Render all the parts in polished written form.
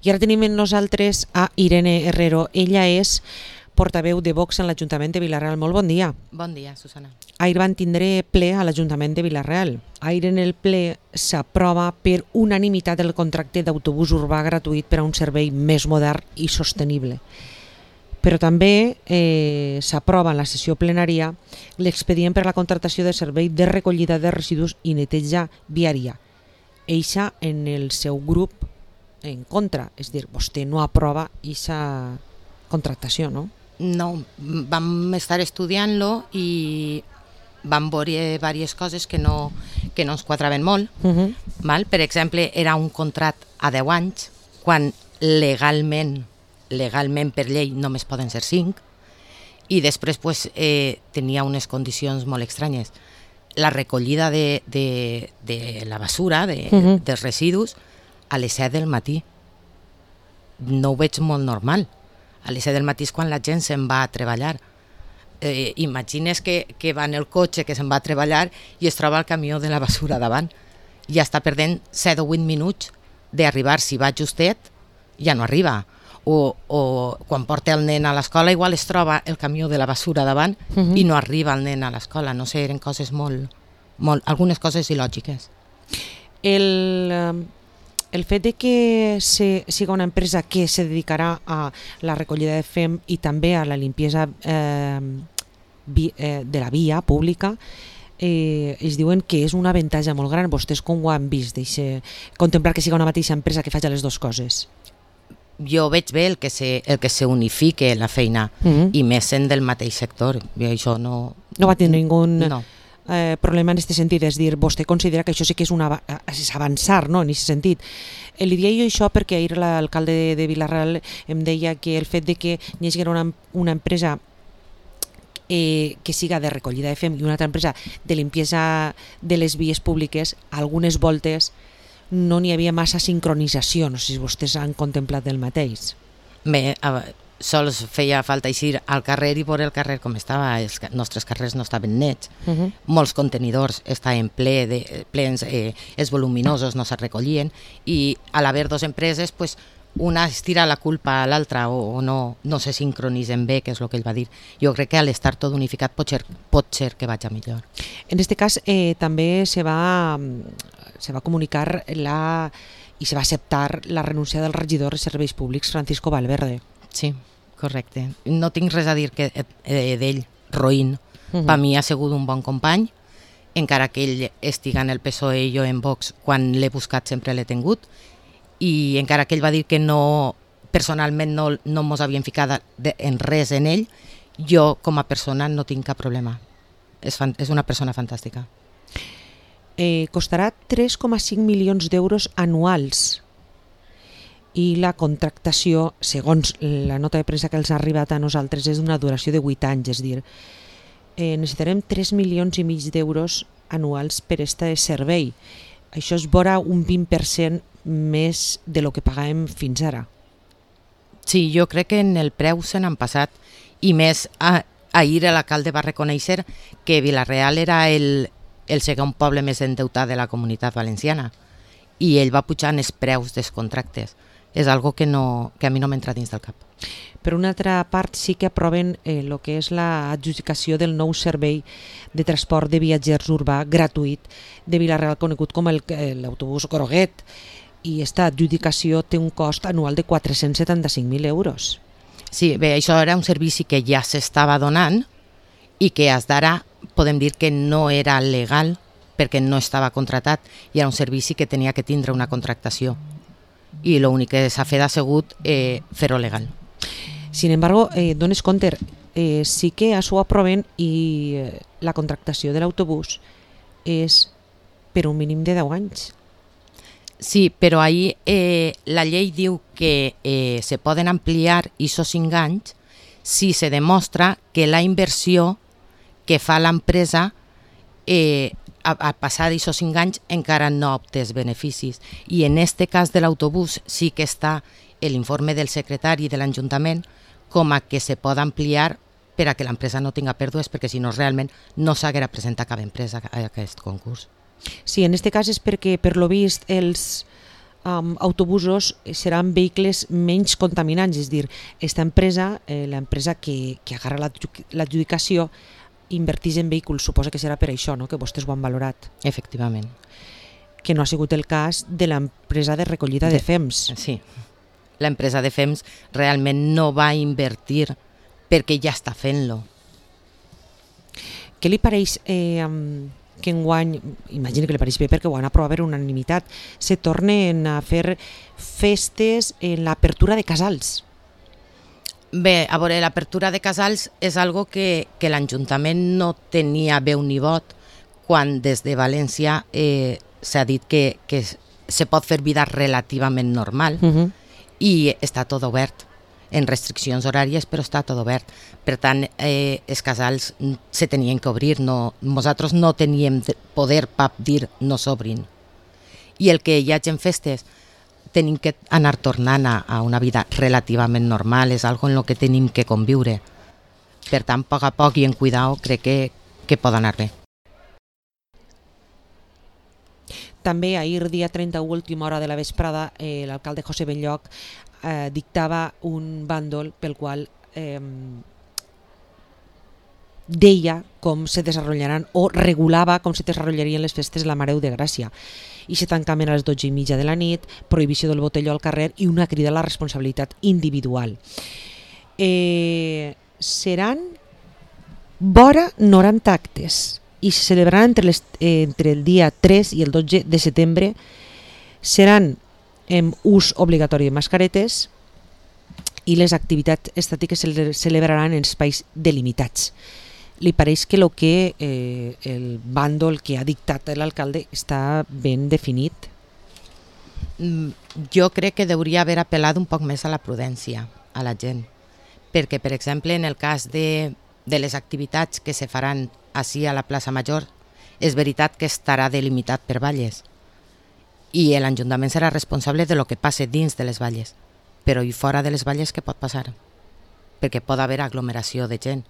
I ara tenim amb nosaltres a Irene Herrero. Ella és portaveu de Vox en l'Ajuntament de Vila-real. Molt bon dia. Bon dia, Susana. Ahir van tindre ple a l'Ajuntament de Vila-real. Ahir en el ple s'aprova per unanimitat el contracte d'autobús urbà gratuït per a un servei més modern i sostenible. Però també s'aprova en la sessió plenària l'expedient per a la contractació de servei de recollida de residus i neteja viària. Eixa en el seu grup en contra, és a dir, vostè no aprova aquesta contractació, no? No, vam estar estudiant-lo i vam veure diverses coses que no ens quadraven molt. Val? Per exemple, era un contracte a 10 anys, quan legalment per llei només poden ser 5, i després tenia unes condicions molt estranyes. La recollida de la basura, dels residus, a les 7 del matí. No ho veig molt normal. A les 7 del matí és quan la gent se'n va a treballar. Imagines que va en el cotxe, que se'n va a treballar i es troba el camió de la basura davant. Ja està perdent 7 o 8 minuts d'arribar. Si va justet, ja no arriba. O quan porta el nen a l'escola, igual es troba el camió de la basura davant i no arriba el nen a l'escola. No sé, eren coses algunes coses il·lògiques. El fet de que siga una empresa que se dedicarà a la recollida de fem i també a la limpiesa de la via pública, es diuen que és un avantatge molt gran. Vostès com ho han vist, contemplar que siga una mateixa empresa que faci les dues coses? Jo veig bé el que se unifique la feina i més sent del mateix sector. Això no va tindre ningú no. Problema en aquest sentit, és dir, vostè considera que això sí que és avançar, no?, en aquest sentit. Li diria jo això perquè ahir l'alcalde de Vila-real em deia que el fet de que hi hagi una empresa que siga de recollida de fem i una altra empresa de limpiesa de les vies públiques, algunes voltes no n'hi havia massa sincronització. No sé si vostès han contemplat el mateix. Bé, sols feia falta eixir al carrer i veure el carrer com estava. Els nostres carrers no estaven nets. Molts contenidors estaven plens, els voluminosos no se recollien, i a l'haver dues empreses, una es tira la culpa a l'altra o no se sincronitzen bé, que és el que ell va dir. Jo crec que a l'estar tot unificat pot ser que vagi millor. En aquest cas també se va comunicar i se va acceptar la renúncia del regidor de Serveis Públics, Francisco Valverde. Sí, correcte. No tinc res a dir d'ell, roïn. Per mi ha sigut un bon company, encara que ell estiga en el PSOE i jo en Vox, quan l'he buscat sempre l'he tingut, i encara que ell va dir que personalment no mos havien ficat en res en ell, jo com a persona no tinc cap problema. És una persona fantàstica. Costarà 3,5 milions d'euros anuals i la contractació, segons la nota de premsa que els ha arribat a nosaltres, és d'una duració de 8 anys, és a dir, necessitarem 3 milions i mig d'euros anuals per aquest servei. Això és vora un 20% més de lo que pagàvem fins ara. Sí, jo crec que en el preu se n'han passat, i més ahir l'alcalde va reconèixer que Vila-real era el segon poble més endeutat de la Comunitat Valenciana, i ell va pujar els preus dels contractes. És algo que a mi no m'entra dins del cap. Per una altra part, sí que aproven el que és l'adjudicació del nou servei de transport de viatgers urbà gratuït de Vila-real, conegut com l'autobús Groguet, i aquesta adjudicació té un cost anual de 475.000 euros. Sí, bé, això era un servici que ja s'estava donant i que fins d'ara podem dir que no era legal perquè no estava contractat, i era un servici que tenia que tindre una contractació. I l'únic que s'ha fet ha sigut fer-ho legal. Sin embargo, dones compte, sí que això ho aproven i la contractació de l'autobús és per un mínim de 10 anys. Sí, però ahir la llei diu que se poden ampliar aquests 5 anys si se demostra que la inversió que fa l'empresa a passar d'aquests 5 anys encara no obtés beneficis. I en aquest cas de l'autobús sí que està l'informe del secretari de l'Ajuntament com a que se pot ampliar per a que l'empresa no tinga pèrdues, perquè si no realment no s'haguera presentat cap empresa a aquest concurs. Sí, en aquest cas és perquè, per lo vist, els autobusos seran vehicles menys contaminants, és a dir, aquesta empresa, l'empresa que agarra l'adjudicació, invertís en vehicles, suposa que serà per això, no?, que vostès ho han valorat. Efectivament. Que no ha sigut el cas de l'empresa de recollida de FEMS. Sí, l'empresa de FEMS realment no va invertir perquè ja està fent-lo. Què li pareix que enguany, imagino que li pareix bé perquè ho han aprovat per unanimitat, se tornen a fer festes en l'apertura de casals? Bé, a veure, l'apertura de casals és algo que l'Ajuntament no tenia veu ni vot quan des de València s'ha dit que se pot fer vida relativament normal i està tot obert, en restriccions horàries, però està tot obert. Per tant, els casals se tenien que obrir, nosaltres no teníem poder per dir no s'obrin. I el que hi hagi en festes tenim que anar tornant a una vida relativament normal, és algo en lo que tenim que conviure. Per tant, a poc a poc i en cuidao, crec que pot anar bé. També ahir, dia 31, última hora de la vesprada, l'alcalde José Benlloch dictava un bàndol pel qual deia com se desenvoluparan o regulava com se desenvoluparien les festes de la Mare de Gràcia. I se tancament a les 12:30 de la nit, prohibició del botelló al carrer i una crida a la responsabilitat individual. Seran vora 90 actes i se celebraran entre el dia 3 i el 12 de setembre. Seran amb ús obligatori de mascaretes i les activitats estàtiques se celebraran en espais delimitats. Li pareix que el bàndol que ha dictat l'alcalde està ben definit? Jo crec que hauria haver apel·lat un poc més a la prudència, a la gent. Perquè, per exemple, en el cas de les activitats que se faran així a la plaça Major, és veritat que estarà delimitat per valles i l'Ajuntament serà responsable de lo que passe dins de les valles, però i fora de les valles què pot passar? Perquè pot haver aglomeració de gent.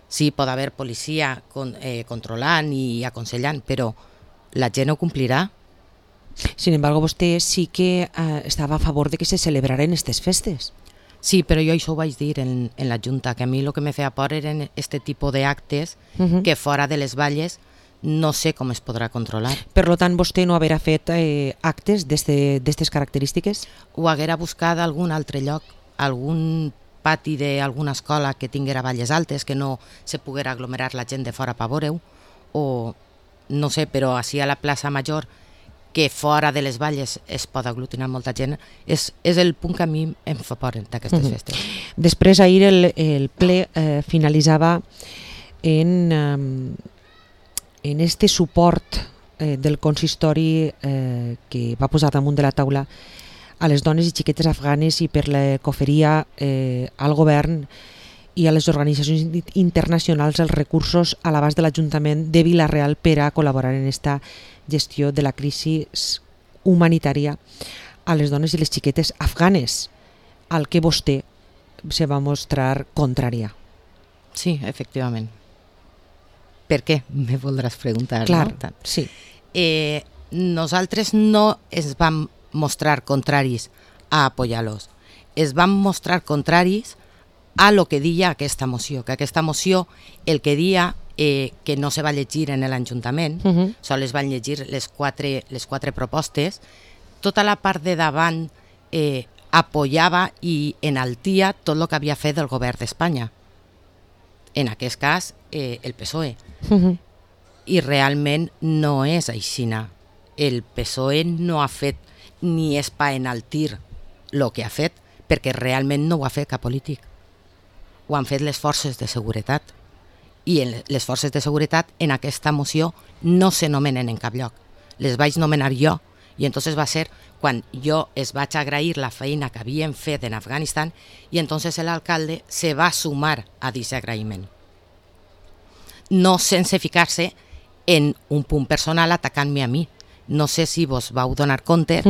Sí, pot haver policia controlant i aconsellant, però la gent ho complirà. Sin embargo, vostè sí que estava a favor de que se celebraren aquestes festes. Sí, però jo això ho vaig dir en la Junta, que a mi el que me feia por eren aquest tipus d'actes que fora de les valles no sé com es podrà controlar. Per tant, vostè no haurà fet actes d'aquestes característiques? Ho haguera buscat a algun altre lloc, algun pati d'alguna escola que tinguera valles altes, que no se poguera aglomerar la gent de fora per veure-ho, o no sé, però així a la plaça Major, que fora de les valles es pot aglutinar molta gent, és el punt que a mi em fa por d'aquestes festes. Després, ahir el ple finalitzava en este suport del consistori que va posar damunt de la taula a les dones i xiquetes afganes i per la coferia al govern i a les organitzacions internacionals els recursos a l'abast de l'Ajuntament de Vila-real per a col·laborar en esta gestió de la crisi humanitària a les dones i les xiquetes afganes, al que vostè se va mostrar contrària. Sí, efectivament. Per què? Me voldràs preguntar. Clar, no? sí. Nosaltres no ens vam mostrar contraris a apoyar-los. Es van mostrar contraris a lo que deia aquesta moció, que aquesta moció el que deia que no se va llegir en l'Ajuntament, sols van llegir les quatre propostes, tota la part de davant apoyava i enaltia tot el que havia fet el govern d'Espanya. En aquest cas, el PSOE. I realment no és aixina. El PSOE no ha fet ni és per enaltir el que ha fet, perquè realment no ho ha fet cap polític. Ho han fet les forces de seguretat. I les forces de seguretat en aquesta moció no se nomenen en cap lloc. Les vaig nomenar jo, i entonces va ser quan jo es vaig agrair la feina que havien fet en Afganistan i entonces l'alcalde se va sumar a aquest agraïment. No sense ficar-se en un punt personal atacant-me a mi. No sé si vos vau donar compte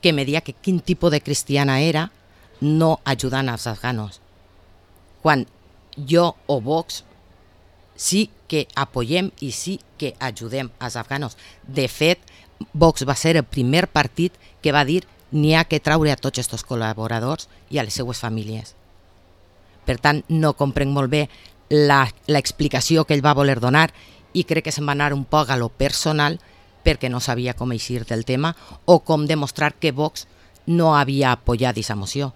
que me deia que quin tipus de cristiana era no ajudant als afganos. Quan jo o Vox sí que apoyem i sí que ajudem als afganos. De fet, Vox va ser el primer partit que va dir n'hi ha que traure a tots aquests col·laboradors i a les seues famílies. Per tant, no comprenc molt bé l'explicació que ell va voler donar i crec que se'n va anar un poc a lo personal perquè no sabia com eixir del tema o com demostrar que Vox no havia apoyat aquesta moció.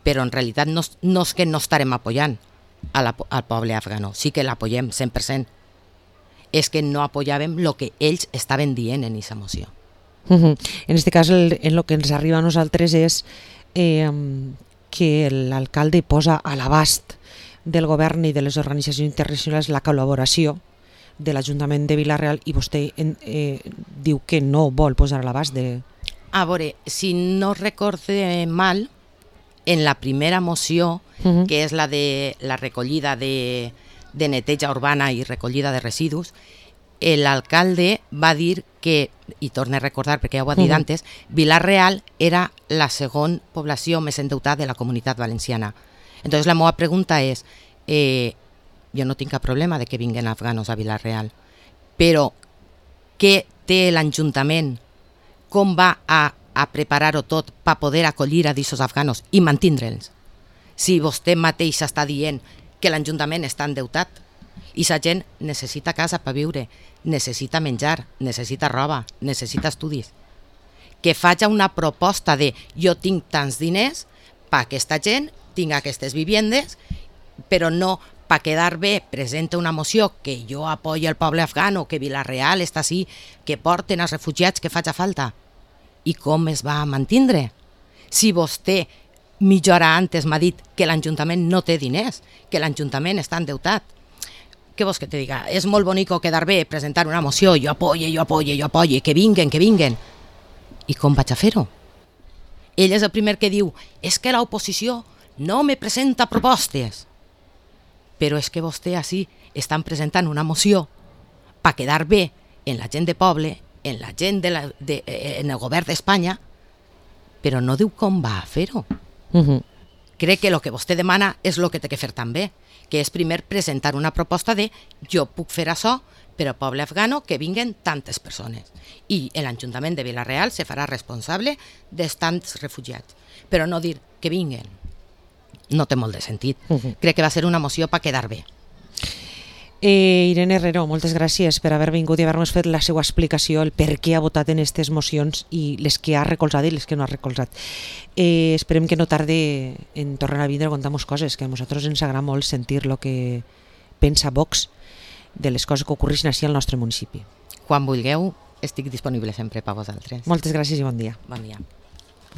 Però en realitat no és que no estarem apoyant al poble afgano, sí que l'apoyem 100%. És que no apoyàvem el que ells estaven dient en aquesta moció. En aquest cas, el que ens arriba a nosaltres és que l'alcalde posa a l'abast del govern i de les organitzacions internacionals la col·laboració de l'Ajuntament de Vila-real i vostè diu que no vol posar a l'abast de... A veure, si no recorde mal, en la primera moció, que és la de la recollida de neteja urbana i recollida de residus, l'alcalde va dir que, i torno a recordar perquè ja ho ha dit antes, Vila-real era la segona població més endeutada de la Comunitat Valenciana. Entonces la meva pregunta és, jo no tinc cap problema de que vinguen afganos a Vila-real, però què té l'Ajuntament, com va a preparar-ho tot per poder acollir a aquests afganos i mantindre'ls? Si vostè mateix està dient que l'Ajuntament està endeutat i la gent necessita casa per viure, necessita menjar, necessita roba, necessita estudis. Que faci una proposta de jo tinc tants diners per aquesta gent, tinc aquestes viviendes, però no per quedar bé presenta una moció que jo apoyo el poble afgano, que Vila-real està així, que porten els refugiats que faci falta. I com es va mantindre? Si vostè mitja hora antes m'ha dit que l'Ajuntament no té diners, que l'Ajuntament està endeutat. Què vols que te diga? És molt bonico quedar bé, presentar una moció, jo apoye, que vinguen. I com vaig a fer-ho? Ell és el primer que diu, és que l'oposició no me presenta propostes. Però és que vostè així estan presentant una moció per quedar bé en la gent de poble, en la gent en el govern d'Espanya, però no diu com va a fer-ho. Crec que el que vostè demana és el que té que fer també, que és primer presentar una proposta de jo puc fer això per al poble afgano que vinguen tantes persones. I l'Ajuntament de Vila-real se farà responsable dels tants refugiats. Però no dir que vinguen. No té molt de sentit. Crec que va ser una moció per quedar bé. Irene Herrero, moltes gràcies per haver vingut i haver-nos fet la seva explicació, el per què ha votat en aquestes mocions i les que ha recolzat i les que no ha recolzat. Esperem que no tarde en tornar a vindre a contar-nos coses, que a nosaltres ens agrada molt sentir el que pensa Vox de les coses que ocorreixen així al nostre municipi. Quan vulgueu, estic disponible sempre per vosaltres. Moltes gràcies i bon dia. Bon dia.